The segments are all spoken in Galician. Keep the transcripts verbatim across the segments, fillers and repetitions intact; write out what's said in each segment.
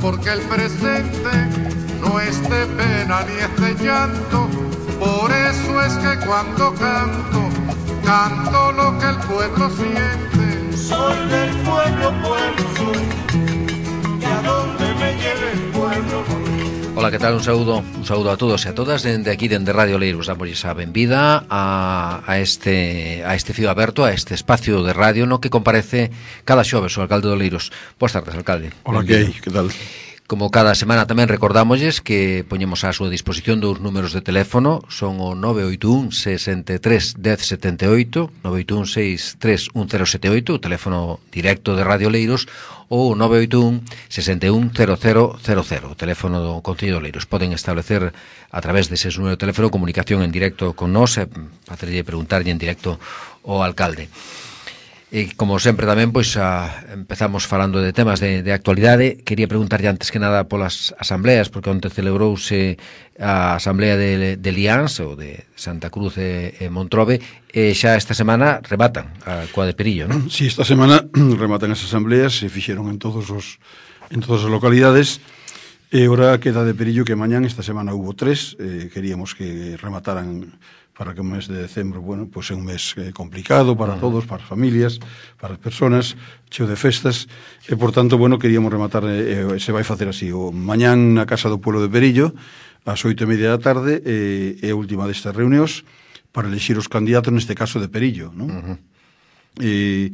porque el presente no es de pena ni es de llanto. Por eso es que cuando canto, canto lo que el pueblo siente. Soy del pueblo, pueblo soy, y a donde me lleve el pueblo. Hola, que tal? Un saúdo, un saúdo a todos e a todas dende aquí, dende Radio Leiros. Damosles a benvida a, a este a este fío aberto, a este espacio de radio no que comparece cada xoves o alcalde de Leiros. Boas tardes, alcalde. Hola, que que tal? Como cada semana tamén recordámosles que poñemos á súa disposición dous números de teléfono, son o nove oito un, seis tres, un cero sete oito, nove oito un, seis tres, un cero sete oito, o teléfono directo de Radio Leiros, ou nove oito un, seis un, cero cero cero cero, o teléfono do Concello de Leiros. Poden establecer a través dese número de teléfono comunicación en directo con nós e facerlle preguntarlle en directo ao alcalde. E como sempre tamén, pois a, empezamos falando de temas de, de actualidade. Quería preguntarlle antes que nada polas asambleas, porque onte celebrouse a asamblea de, de Lians ou de Santa Cruz e, e Montrobe, e xa esta semana rematan a coa de Perillo, non? Si, sí, esta semana rematan as asambleas, se fixeron en todos os en todas as localidades, e ora queda de Perillo que mañán, esta semana hubo tres, eh, queríamos que remataran para que o mes de decembro, bueno, pois é un mes eh, complicado para todos, para as familias, para as persoas, cheo de festas, e, por tanto, bueno, queríamos rematar, eh, se vai facer así, o mañán na Casa do Pueblo de Perillo, ás oito e media da tarde, e, e a última destas reunións, para elixir os candidatos, neste caso de Perillo, non? Uh-huh. E,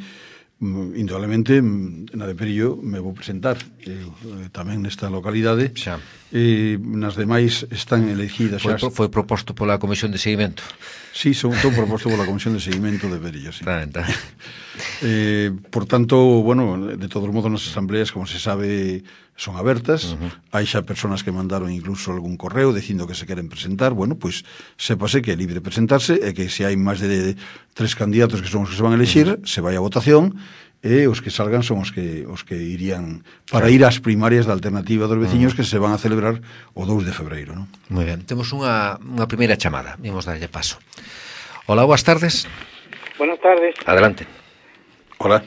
indudablemente, na de Perillo me vou presentar, eh, tamén nesta localidade, xa. E nas demais están elegidas xa. Foi, foi proposto pola Comisión de Seguimento. Sí, son todo proposto pola Comisión de Seguimento de Perillo, sí. Claro, claro. eh, por tanto, bueno, de todos modos nas asambleas, como se sabe, son abertas. Uh-huh. Hai xa personas que mandaron incluso algún correo dicindo que se queren presentar. Bueno, pois sépase que é libre presentarse e que se hai máis de, de tres candidatos que son os que se van a elexir, uh-huh, se vai a votación e os que salgan son os que os que irían para ir ás primarias da alternativa dos veciños, uh-huh, que se van a celebrar o dous de febreiro, non? Moi ben, temos unha, unha primeira chamada, vamos darlle paso. Hola, boas tardes. Buenas tardes. Adelante. Hola.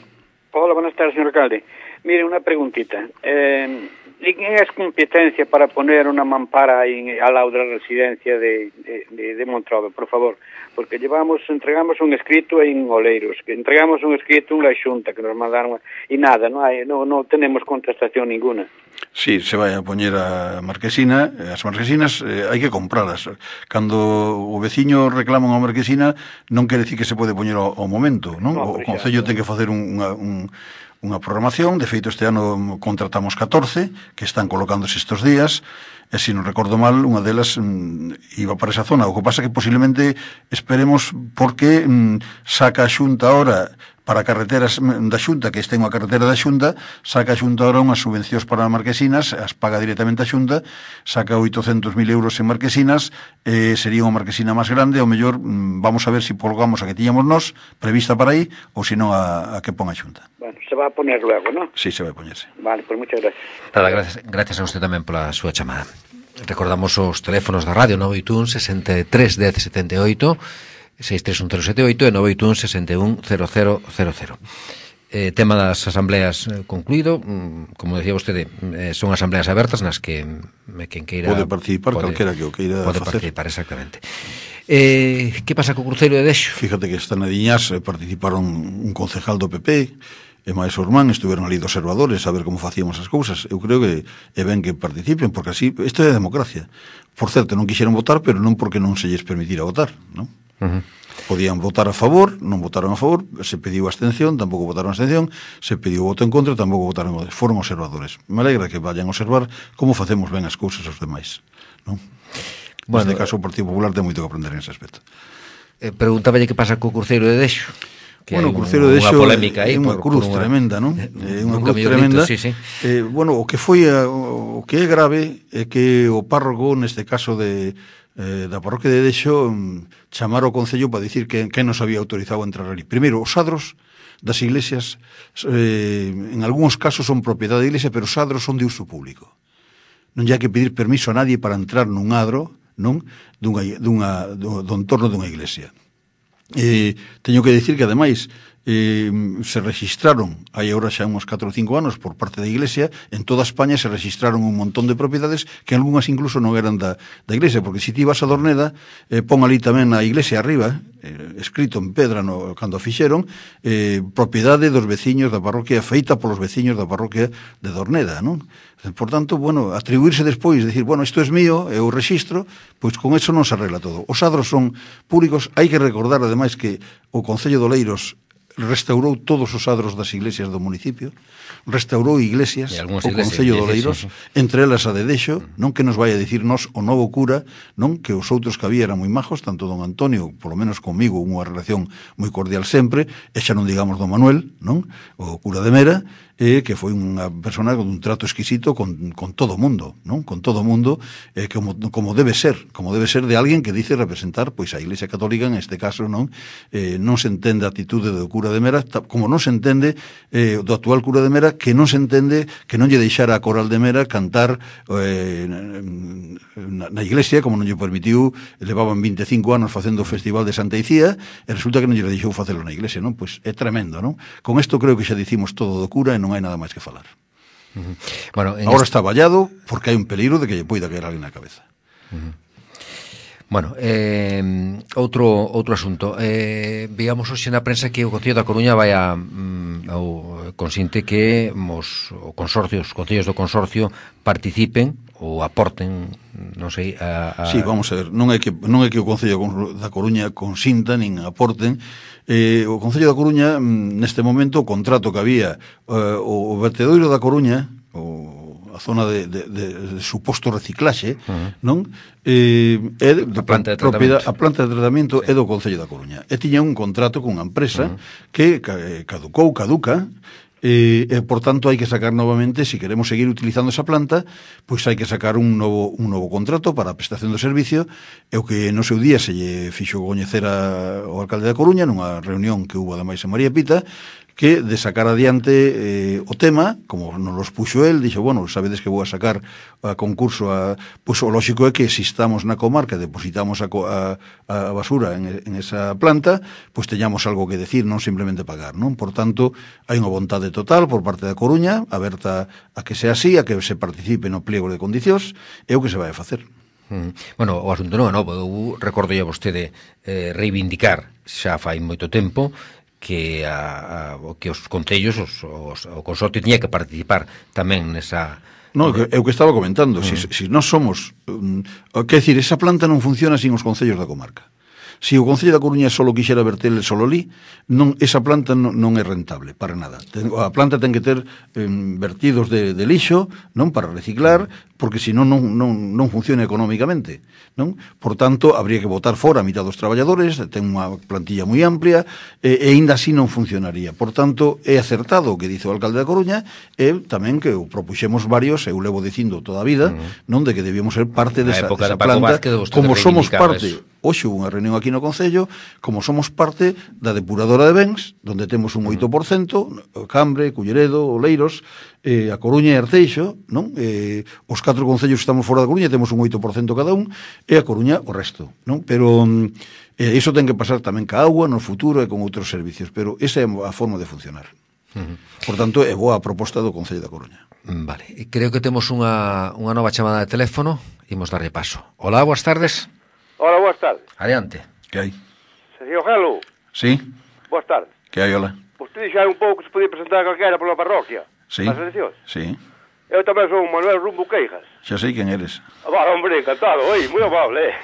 Hola, buenas tardes, señor alcalde. Mire, unha preguntita. Eh, ¿Quién es competencia para poner una mampara ahí al lado de la residencia de, de, de, de Montrobe, por favor? Porque llevamos, entregamos un escrito en Oleiros, que entregamos un escrito en la Xunta que nos mandaron y nada, no hay, no, no tenemos contestación ninguna. Sí, se vai a poñer a marquesina, as marquesinas eh, hai que compralas. Cando o veciño reclama unha marquesina, non quere decir que se pode poñer ao, ao momento, non? No, o Concello ten que facer un, unha, un, unha programación. De feito, este ano contratamos catorce que están colocándose estes días, e se non recordo mal, unha delas mm, iba para esa zona. O que pasa que posiblemente esperemos porque mm, saca a Xunta ahora para carreteras da Xunta, que estén unha carretera da Xunta, saca a Xunta ahora unhas subvencións para marquesinas, as paga directamente a Xunta, saca oitocentos mil euros en marquesinas, eh, sería unha marquesina máis grande, ao mellor mm, vamos a ver se si colgamos a que tiñamos nós, prevista para aí, ou se non a, a que pon a Xunta. Bueno, se va a poner luego, ¿no? Sí, se vai a poñerse. Vale, pues muchas gracias. Nada, gracias, gracias a usted tamén pola súa chamada. Recordamos os teléfonos da radio nove oito un, seis tres, un cero sete oito, seis tres un cero sete oito e nove oito un, seis un, cero cero cero cero. Eh, tema das asambleas eh, concluído. Como decía vostede, eh, son asambleas abertas nas que me quen queira pode participar, pode, calquera que o queira pode facer. participar, exactamente. Eh, que pasa co Cruceiro de Dexo? Fíjate que esta Nadiñas eh, participaron un concejal do P P e máis o irmán, estuveron ali de observadores a ver como facíamos as cousas. Eu creo que é ben que participen, porque así, isto é a democracia. Por certo, non quixeron votar, pero non porque non se lles permitira votar, non? Uh-huh. Podían votar a favor, non votaron a favor, se pediu abstención, tampouco votaron abstención, se pediu voto en contra, tampouco votaron, foron observadores. Me alegra que vayan a observar como facemos ben as cousas aos demais, non? Bueno, neste caso o Partido Popular ten moito que aprender en ese aspecto. Eh, Preguntáballe que pasa co Cruceiro de Dexo. Que bueno, o Cruceiro de Dexo é unha cruz por tremenda, non? É unha cruz tremenda. Sí, sí. Eh, bueno, o que foi a, o que é grave é que o párroco, neste caso de eh, da parroquia de Dexo, chamar ao Concello para dicir que, que nos había autorizado a entrar ali. Primeiro, os adros das iglesias eh, en algúns casos son propiedade da iglesia, pero os adros son de uso público. Non hai que pedir permiso a nadie para entrar nun adro, non? Dunha, dunha, do, do entorno dunha iglesia. Eh, teño que dicir que, ademais, eh, se registraron, hai agora xa uns catro ou cinco anos, por parte da Iglesia, en toda España se registraron un montón de propiedades que algunhas incluso non eran da, da Iglesia, porque se ti vas a Dorneda, eh, pon ali tamén a Iglesia arriba, eh, escrito en pedra no, cando a fixeron, eh, propiedade dos veciños da parroquia, feita polos veciños da parroquia de Dorneda, non? Por tanto, bueno, atribuirse despois, decir, bueno, isto é mío, é o rexistro, pois con eso non se arregla todo. Os adros son públicos, hai que recordar, ademais, que o Concello de Oleiros restaurou todos os adros das iglesias do municipio, restaurou iglesias, o Concello de Oleiros, sí, sí. Entre elas a de Dexo, non que nos vai a dicir nos o novo cura, non que os outros que había eran moi majos, tanto don Antonio, polo menos comigo, unha relación moi cordial sempre, e xa non digamos don Manuel, non? O cura de Mera, eh, que foi unha persona con un trato exquisito con, con todo o mundo, non? Con todo o mundo, eh, como, como debe ser, como debe ser de alguén que dice representar pois a Iglesia Católica, en este caso, non? Eh, non se entende a actitude do cura de Mera, como non se entende eh, do actual cura de Mera, que non se entende que non lle deixara a Coral de Mera cantar eh, na, na iglesia, como non lle permitiu, levaban veinticinco anos facendo o Festival de Santa Icía, e resulta que non lle deixou facelo na iglesia, non? Pois é tremendo, non? Con isto creo que xa dicimos todo do cura e non hai nada máis que falar. Uh-huh. Bueno, agora este... está vallado porque hai un peligro de que lle poida caer alguén na cabeza. Uh-huh. Bueno, eh, outro outro asunto. Eh, veamos hoxe na prensa que o Concello da Coruña vai a mm, ao, consinte que os o consorcio, os concellos do consorcio participen ou aporten, non sei, a, a... Sí, vamos a ver, non é que non é que o Concello da Coruña consinta nin aporten. Eh, o Concello da Coruña, neste momento, o contrato que había, eh, o, o vertedoiro da Coruña, o a zona de, de, de, de suposto reciclaxe, uh-huh. non? Eh, é de, a planta de tratamento, a planta de tratamento sí. É do Concello da Coruña. E tiña un contrato con unha empresa uh-huh. que caducou, caduca, e, e por tanto hai que sacar novamente, se si queremos seguir utilizando esa planta, pois hai que sacar un novo, un novo contrato para a prestación do servicio, e o que no seu día se lle fixo coñecer ao alcalde da Coruña nunha reunión que hubo ademais en María Pita, que de sacar adiante eh, o tema, como nos los puxo el, dixo, bueno, sabedes que vou a sacar a concurso, a, pois o lógico é que se estamos na comarca, depositamos a, a, a basura en, en esa planta, pois teñamos algo que decir, non simplemente pagar, non? Por tanto, hai unha vontade total por parte da Coruña, aberta a que sea así, a que se participe no pliego de condicións, é o que se vai a facer. Mm. Bueno, o asunto non, non, eu recordo a vostede eh, reivindicar xa fai moito tempo que a, a, que os concellos os, os, o consorcio tiña que participar tamén nesa... No, é o que estaba comentando, uh-huh. se, si nós somos um, quer decir, esa planta non funciona sin os concellos da comarca. Se o Concello da Coruña solo quixera verterle solo ali, non, esa planta non, non é rentable, para nada. Ten, a planta ten que ter eh, vertidos de, de lixo, non, para reciclar, porque senón non, non, non funciona económicamente, non? Por tanto, habría que botar fora a mitad dos traballadores, ten unha plantilla moi amplia, e, e ainda así non funcionaría. Por tanto, é acertado o que dice o alcalde da Coruña, e tamén que o propuxemos varios, eu levo dicindo toda a vida, uh-huh. non, de que debíamos ser parte desa, desa planta, como somos parte... Hoxe hubo unha reunión aquí no Concello, como somos parte da depuradora de bens, donde temos un oito por cento, Cambre, Culleredo, Oleiros, eh, a Coruña e Arteixo, non? Eh, os catro concellos que estamos fora da Coruña temos un oito por cento cada un, e a Coruña o resto, non? Pero eh, iso ten que pasar tamén ca agua no futuro e con outros servicios, pero esa é a forma de funcionar. Uh-huh. Por tanto, é boa a proposta do Concello da Coruña. Vale, e creo que temos unha, unha nova chamada de teléfono, imos darlle paso. Hola, boas tardes. Hola, boas tardes. Adiante. Que hai? Señor Gelo. Sí. Boas tardes. Que hai, hola? Vostede dixeron un pouco que se podía presentar calquera pola parroquia. Sí. As eleccións. Sí. Eu tamén son Manuel Rumbo Queijas. Xa sei quen eres. Ah, va, hombre, encantado, oi, moi amable, eh.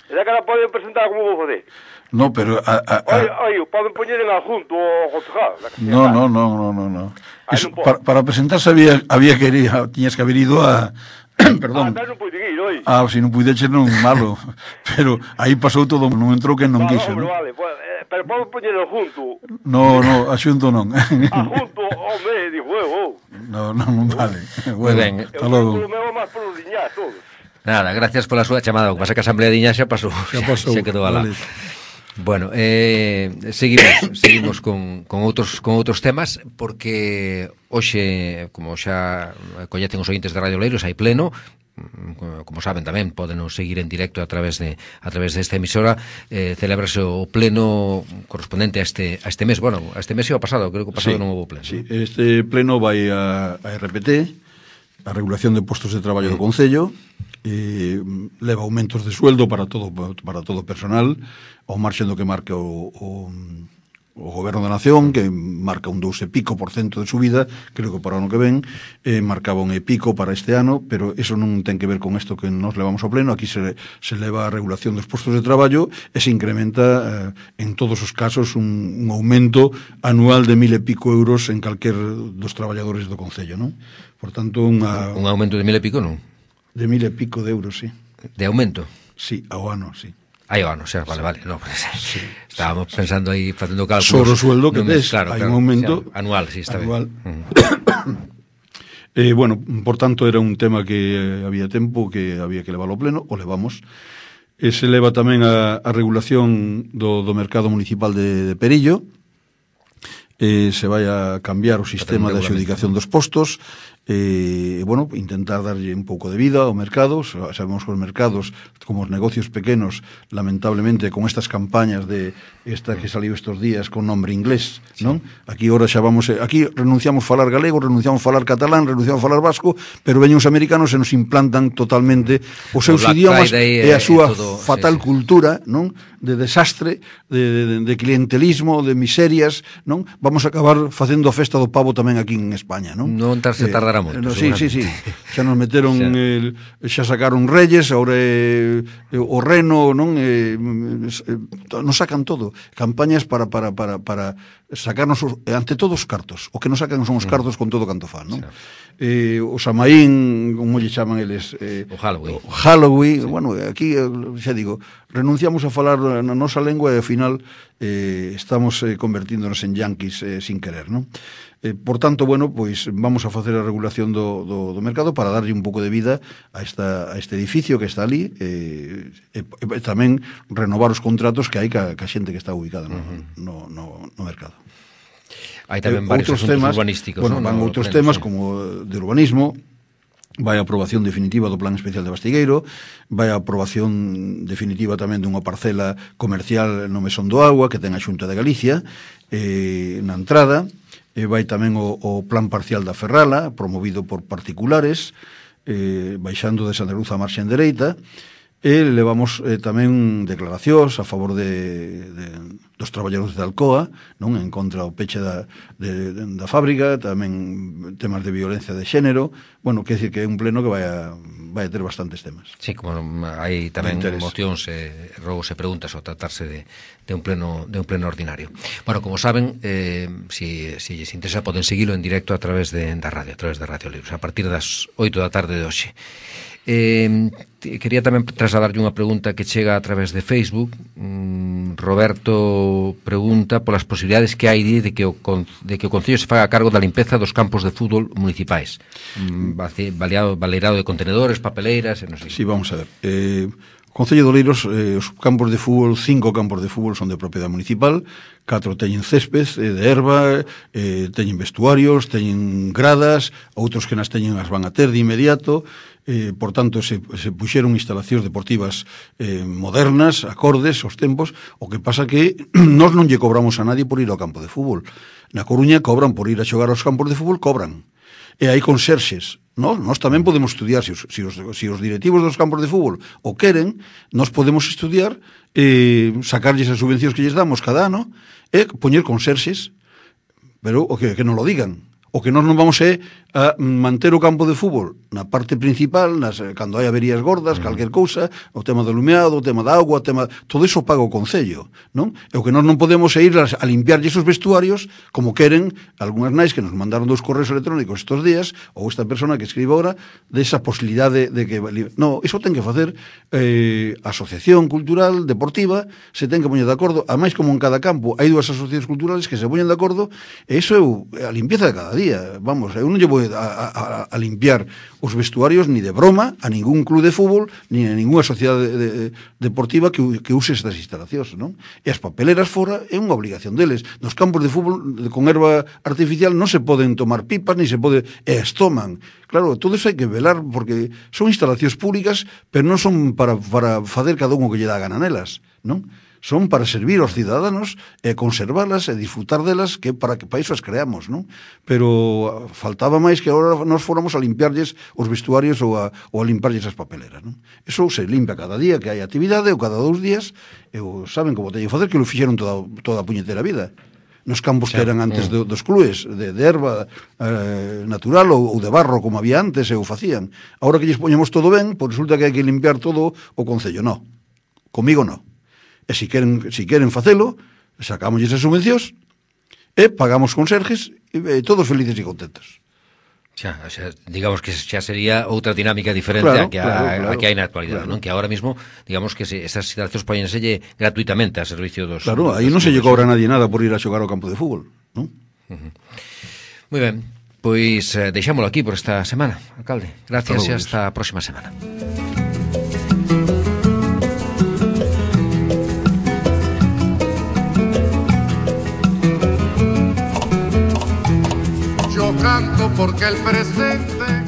E xa que la poden presentar como vou fazer. No, pero... A, a, a... Oi, oi, poden poñer en adjunto o concejal. No, no, no, no, no, no. Eso, para, para presentarse había, había que ir, tiñas que haber ido a... Perdón. Ah, non pude ir, oi. Ah, se non puideche non malo. Pero aí pasou todo, non entrou quen non vale, quiso, hombre, non? Vale, pues, eh, pero podo poñerlo junto. No, no, a xunto non. A junto, hombre, digo, eu. No, non, non vale. Bueno, ben. Hasta logo. Eu me máis por os diñas todos. Nada, gracias pola súa chamada. O que pasa que a Asamblea de Iña xa pasou. Xa pasou. Xa quedou alá. Vale. Bueno, eh, seguimos seguimos con, con outros con outros temas, porque hoxe, como xa coñecen os ointes de Radio Oleiros, hai pleno, como saben tamén, poden seguir en directo a través de a través desta emisora. eh, celebrase o pleno correspondente a este a este mes, bueno, a este mes e ao pasado, creo que o pasado Sí, non houve pleno. Sí, este pleno vai a, a R P T, a regulación de postos de traballo do Concello, eh, leva aumentos de sueldo para todo para todo o personal, ao marxen do que marca o, o o Goberno da Nación, que marca un dous e pico por cento de subida, creo que para o ano que ven, eh, marcaba un e pico para este ano, pero eso non ten que ver con isto que nos levamos ao pleno. Aquí se, se leva a regulación dos postos de traballo e se incrementa eh, en todos os casos un, un aumento anual de mil e pico euros en calquer dos traballadores do Concello, non? Por tanto, unha... Un aumento de mil e pico, non? De mil e pico de euros, sí. De aumento? Sí, ao ano, sí. Aí o ano, xa, vale, vale, no, pues, sí, estábamos sí, pensando aí facendo cálculos sobre o sueldo que no, tes, claro, hai claro, un aumento xa, anual, sí, está anual. ben. eh, bueno, por tanto era un tema que había tempo que había que levarlo ao pleno, o levamos. E se leva tamén a, a regulación do, do mercado municipal de, de Perillo. Eh, se vai a cambiar o sistema de adxudicación dos postos, e, eh, bueno, intentar darlle un pouco de vida ao mercado. Sabemos que os mercados, como os negocios pequenos, lamentablemente, con estas campañas de esta que saliu estes días con nombre inglés, sí, non? Aquí ora xa vamos, aquí renunciamos a falar galego, renunciamos a falar catalán, renunciamos a falar vasco, pero veñen os americanos e nos implantan totalmente os seus idiomas e a súa todo, fatal sí, sí. cultura, non? De desastre, de, de, de clientelismo, de miserias, non? Vamos a acabar facendo a festa do pavo tamén aquí en España, non? Non tarse eh, tardará moito. No, sí, sí, sí. Xa nos meteron xa, el, xa sacaron Reyes, agora eh, o Reno, non? Eh, nos sacan todo. Campañas para para para para sacarnos os, ante todos os cartos. O que nos sacan son os cartos con todo canto fan, non? Xa. Eh, o Samaín, como lle chaman eles, eh, o Halloween. O Halloween, sí. Bueno, aquí xa digo, renunciamos a falar na nosa lengua e ao final eh, estamos eh, convertíndonos en yanquis eh, sin querer, non? Eh, por tanto, bueno, pois vamos a facer a regulación do, do, do mercado para darlle un pouco de vida a, esta, a este edificio que está ali, eh, e, e tamén renovar os contratos que hai ca, ca xente que está ubicada no, uh-huh. no, no, no mercado. Hai tamén eh, varios asuntos temas, urbanísticos. Bueno, ¿no? van no, outros pleno, temas sí. como de urbanismo, vai a aprobación definitiva do Plan Especial de Bastigueiro, vai a aprobación definitiva tamén dunha parcela comercial no Mesón do Agua que ten a Xunta de Galicia eh, na entrada, e vai tamén o, o Plan Parcial da Ferrala, promovido por particulares, eh, baixando de Santa Cruz a marxen dereita, e levamos eh, tamén declaracións a favor de, de, dos traballadores de Alcoa, non, en contra o peche da, de, de, da fábrica, tamén temas de violencia de xénero. Bueno, quer decir que é un pleno que vai a, vai a ter bastantes temas. Sí, como hai tamén mocións e eh, rogos e preguntas ao tratarse de, de un pleno de un pleno ordinario. Bueno, como saben, eh, si, si lles interesa poden seguilo en directo a través de, da radio, a través de Radio Libros, a partir das oito da tarde de hoxe. Eh, quería tamén trasladarlle unha pregunta que chega a través de Facebook. mm, Roberto pregunta polas posibilidades que hai de que o, de que o Concello se faga a cargo da limpeza dos campos de fútbol municipais, mm, baleado, baleirado de contenedores, papeleiras e non sei. Sí, vamos a ver, eh, o Concello de Oleiros, eh, os campos de fútbol, cinco campos de fútbol son de propiedade municipal, catro teñen césped eh, de erva, eh, teñen vestuarios, teñen gradas, outros que nas teñen as van a ter de inmediato. Eh, por tanto, se, se puxeron instalacións deportivas eh, modernas, acordes aos tempos. O que pasa que nós non lle cobramos a nadie por ir ao campo de fútbol. Na Coruña cobran por ir a xogar aos campos de fútbol, cobran. E hai conserxes. Nós, nós tamén podemos estudiar, se os, se, os, se os directivos dos campos de fútbol o queren, nós podemos estudiar, eh, sacarlles as subvencións que lles damos cada ano e poñer conserxes, pero o que, que non lo digan. O que nós non vamos é a manter o campo de fútbol na parte principal, nas, cando hai averías gordas, calquer cousa, o tema do lumeado, o tema da auga, o tema, todo iso paga o Concello, non? E o que nós non podemos é ir a, a limpiarlle esos vestuarios como queren algunhas nais que nos mandaron dos correos electrónicos estes días, ou esta persona que escribe agora, desa posibilidade de que... No, iso ten que facer eh, a Asociación Cultural Deportiva, se ten que poñer de acordo, a máis como en cada campo hai dúas asociacións culturales que se poñen de acordo, e iso é a limpieza de cada día. día. Vamos, eu non lle vou a, a, a limpiar os vestuarios ni de broma a ningún club de fútbol ni a ninguna sociedade de, de, deportiva que, que use estas instalacións, non? E as papeleras fora é unha obligación deles. Nos campos de fútbol con erva artificial non se poden tomar pipas, ni se pode... e as toman. Claro, todo iso hai que velar, porque son instalacións públicas, pero non son para, para facer cada un o que lle dá gana nelas, non? Son para servir aos ciudadanos e conservalas e disfrutar delas, que para que para iso as creamos, non? Pero faltaba máis que agora nos fóramos a limpiarlles os vestuarios ou a, ou a limparlles as papeleras, non? Eso se limpia cada día que hai actividade ou cada dous días, e o, saben como teñen que facer, que lo fixeron toda, toda a puñetera vida. Nos campos que eran antes de, dos clubes de, de erva eh, natural ou, ou de barro como había antes e o facían. Ahora que lles poñemos todo ben, pois resulta que hai que limpiar todo o concello. No, comigo no. E se queren, si queren facelo, sacamos esas subvencións e pagamos conserjes e, e todos felices e contentos. Xa, o sea, digamos que xa sería outra dinámica diferente claro, a que, claro, a, claro, a que hai na actualidade, claro. Non? Que ahora mismo, digamos que se, esas instalacións poñenselle gratuitamente a servicio dos... Claro, dos aí non se lle cobra a clubes. nadie nada por ir a xogar ao campo de fútbol, non? Uh-huh. Moi ben, pois eh, deixámolo aquí por esta semana, alcalde. Gracias e hasta a próxima semana. Yo canto porque el presente